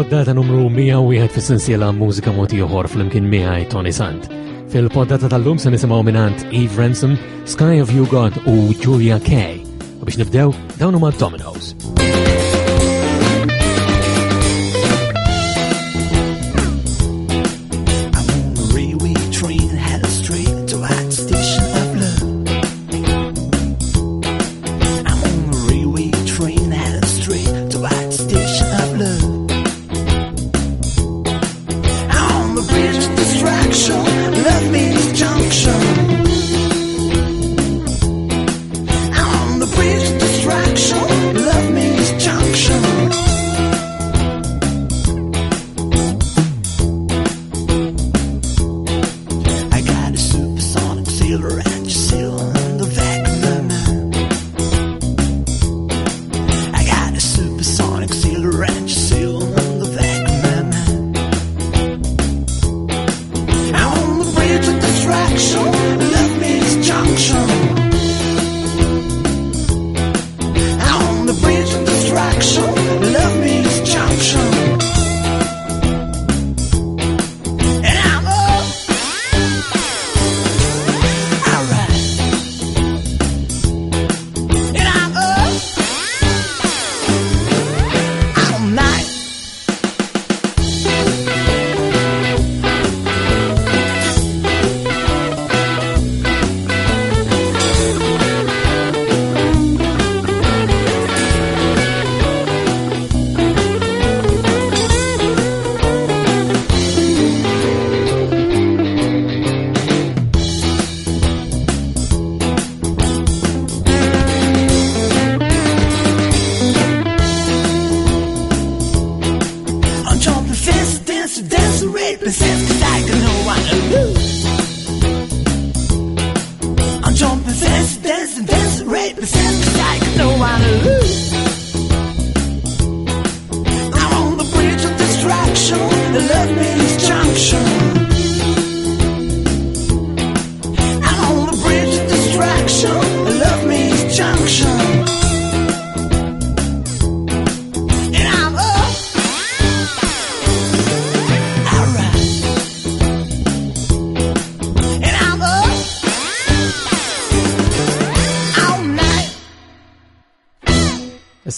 il-poddata numru 101 fis-sensiela Mużika Mod Ieħor flimkien miegħi Tony Sant. Fil-poddata tal-lum se nisimgħu mingħand Eve Ransom, Sky of You God u Julia Kay. U biex nibdew, dawn huma Dominoes.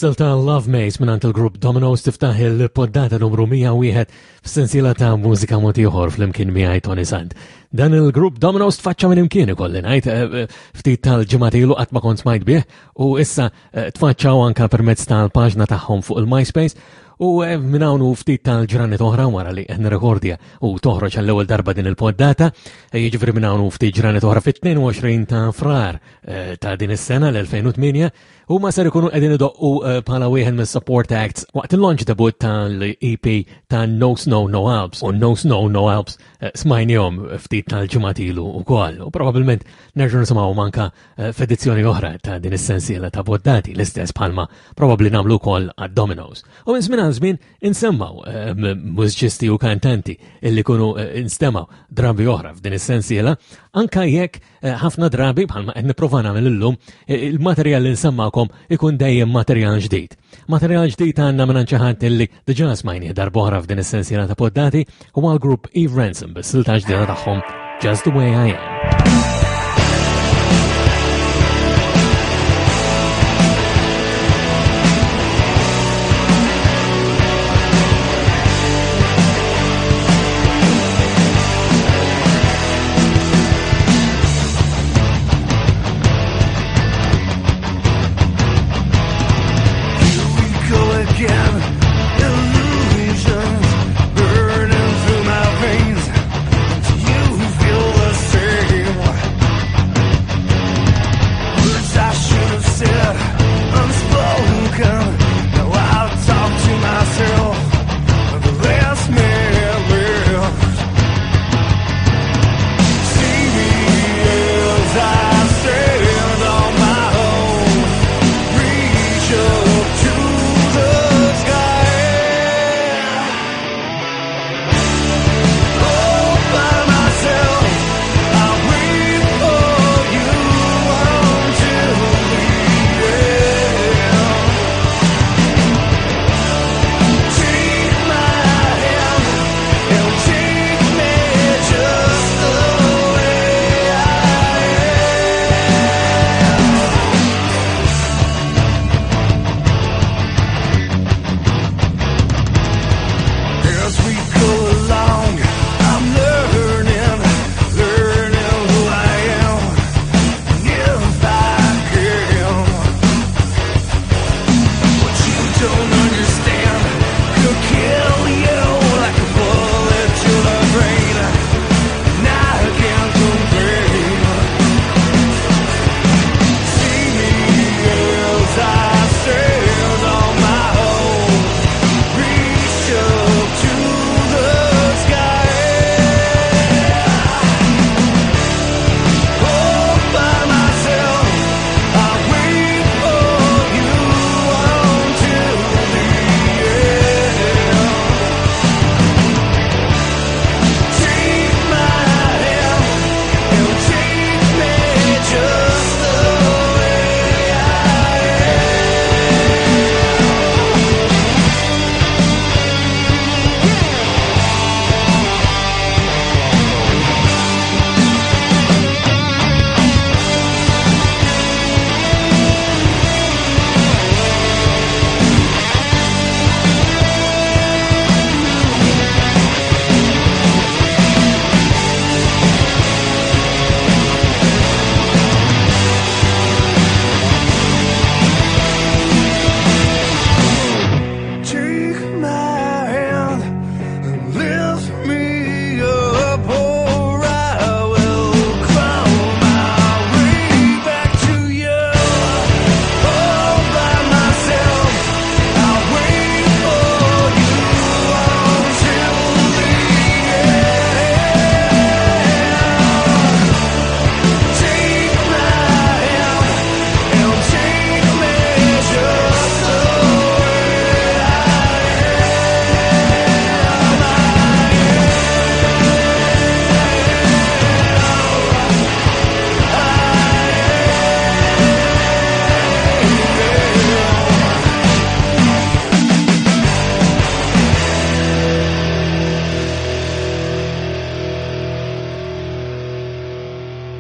Is-silta Love Maze minn il-grupp Dominoes tiftaħ il-poddata numru 101 f'sensiela ta' mużika mod ieħor flimkien miegħi Tony Sant. Dan il-grupp Dominoes tfaċċa minn imkien ikolli ngħid eh, eh, ftit tal-ġimgħat ilu qatt ma kont smajt bih u issa eh, tfaċċaw anka permezz tal-paġna tagħhom fuq il-MySpace u minn hawn u ftit tal-ġranet oħra wara li qed nirrekordja u toħroġ għall-ewwel darba din il-poddata, jiġifieri minn hawn u ftit ġranet oħra fit-22 ta' frar ta' din is-sena l-2008 Huma ser ikunu qegħdin idoqqu eh, bħala wieħed mis-support acts waqt il-launch debut tal-EP ta' No Snow No Alps u No Snow No Alps eh, smajnihom ftit tal-ġimgħat ilu wkoll u probabbilment nerġgħu nisimgħu manka eh, f'edizzjoni oħra ta' din is-sensiela ta' boddati l-istess bħalma probabbli nagħmlu wkoll għad-Dominoes. U minn żmien għal żmien insemmaw mużiċisti u kantanti illi kunu instemaw drabi oħra f'din is-sensiela anka jekk Eh, ħafna drabi bħalma qed nipprova nagħmel illum, eh, il-materjal li nsemmakom ikun dejjem materjal ġdid. Materjal ġdid għandna minn xi ħadd illi diġà smajni darb'oħra f'din is-sensiela ta' poddati huwa l-grupp Eve Ransom bis-silta ġdida tagħhom Just the Way I Am. Burning through my veins. Do you feel the same?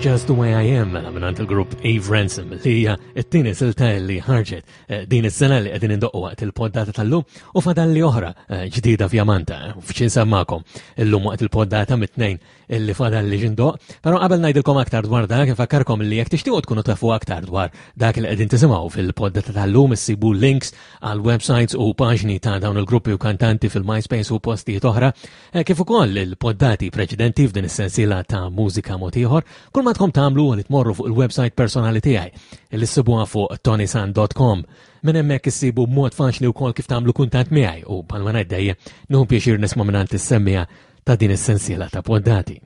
Just the Way I Am mela mingħand il-grupp Eve Ransom li hija t-tieni silta li ħarġet eh, din is-sena li qegħdin indoqqu waqt il-poddata tal-lum u fadalli oħra eh, ġdida f'Jamanta eh, f'xi nsemmakom illum waqt il-poddata mit-tnejn illi fadalli x'indoq. Però qabel ngħidilkom aktar dwar dak infakkarkom li jekk tixtiequ tkunu tafu aktar dwar dak li qegħdin tisimgħu fil-poddata tal-lum issibu links għal websites u paġni ta' dawn il-gruppi u kantanti fil-MySpace u postijiet oħra Eh, kif ukoll il-poddati preċedenti f'din is-sensiela ta' mużika mod ieħor, kull ma tkom tagħmlu li tmorru fuq il-website personali tiegħi li ssibuha fuq tonisan.com. Minn hemmhekk issibu mod faċli wkoll kif tagħmlu kuntatt miegħi u bħalma ngħid dejjem nieħu pjaċir nisma' mingħand is-semmija ta' din is-sensiela ta' poddati.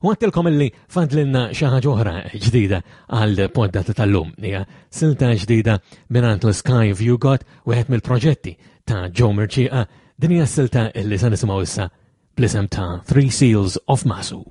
U għattilkom illi fadlilna xi ħaġa oħra ġdida għal poddata tal-lum. Hija silta ġdida mingħand l-Sky View Got, wieħed mill-proġetti ta' Joe Merċieqa. Din hija silta illi se nisimgħu issa bl-isem ta' Three Seals of Masu.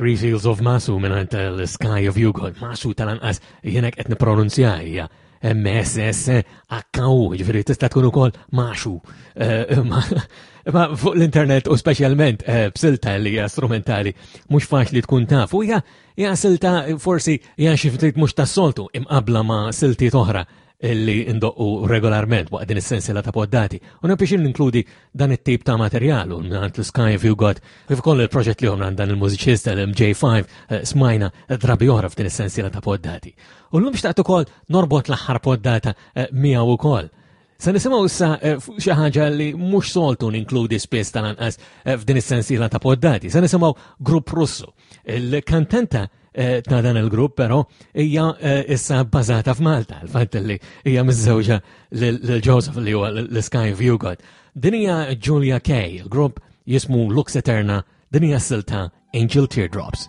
Three Seals of Masu minn l-Sky of Yugo. Masu tal-anqas jenek qed nipronunzja hija M-S-S-H-U, ġifieri tista' tkun ukoll Maxu. Eh, ma fuq l-internet u speċjalment eh, b'silta li hija strumentali mhux faċli tkun taf. U hija silta forsi hija xi ftit mhux tas-soltu imqabbla ma' siltiet oħra li ndoqqu regolarment waqt din is-sensiela ta' poddati. U biex ninkludi dan it-tip ta' materjal u mingħand l-Sky If You Got kif ukoll il-proġett li għand dan il-mużiċist l-MJ5 eh, smajna drabi oħra f'din is-sensiela ta' poddati. U llum xtaqt ukoll norbot l-aħħar poddata eh, miegħu ukoll. Se nisimgħu issa eh, xi ħaġa li mhux soltu ninkludi spiss tal-anqas f'din is-sensiela ta' poddati. Se nisimgħu grupp Russu. Il-kantanta eh, ta' dan il-grupp, però hija eh, issa bbażata f'Malta, il-fatt li hija miżżewġa lil Joseph li huwa l-Sky View God. Din hija Julia Kay, il-grupp jismu Lux Eterna, din hija silta Angel Teardrops.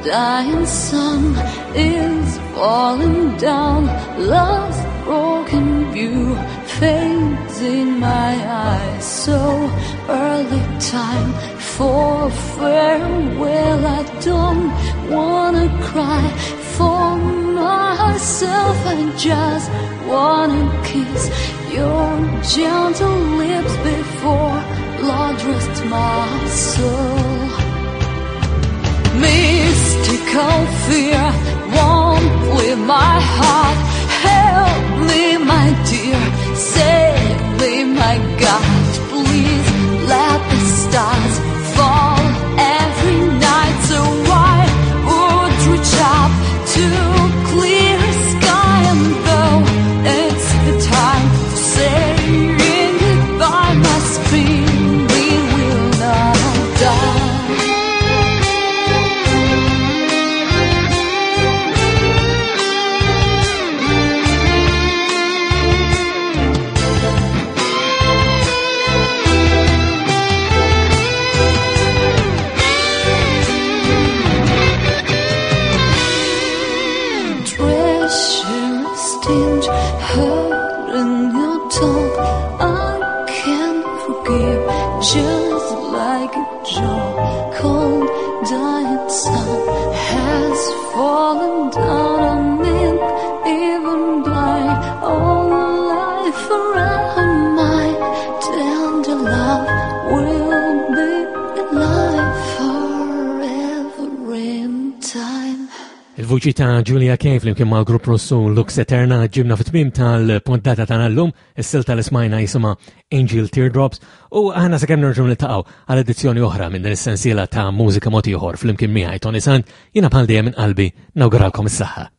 Dying sun is falling down Lost broken view fades in my eyes So early time for farewell I don't wanna cry for myself I just wanna kiss your gentle lips before Lord rest my soul Mystical fear won't leave my heart Help me, my dear, save me, my God Please let the stars fall every night So I would reach up to clear sky And though it's the time for saying goodbye My spirit will not die Treacherous tinge hurt in your tongue I can't forgive just like a jaw Cold dying sun has fallen down on me Even blind all life around my tender love will be alive forever in time Il-vuċi ta' Julia Kay flimkien mal-grupp Russu Lux Eterna ġibna fit-tmiem tal-pontata tagħna llum, is-silta li smajna jisimha Angel Teardrops u aħna sakemm nerġgħu niltaqgħu għal edizzjoni oħra minn din is-sensiela ta' mużika mod ieħor flimkien miegħi Tony Sant, jiena bħal dejjem minn qalbi nawguralkom is-saħħa.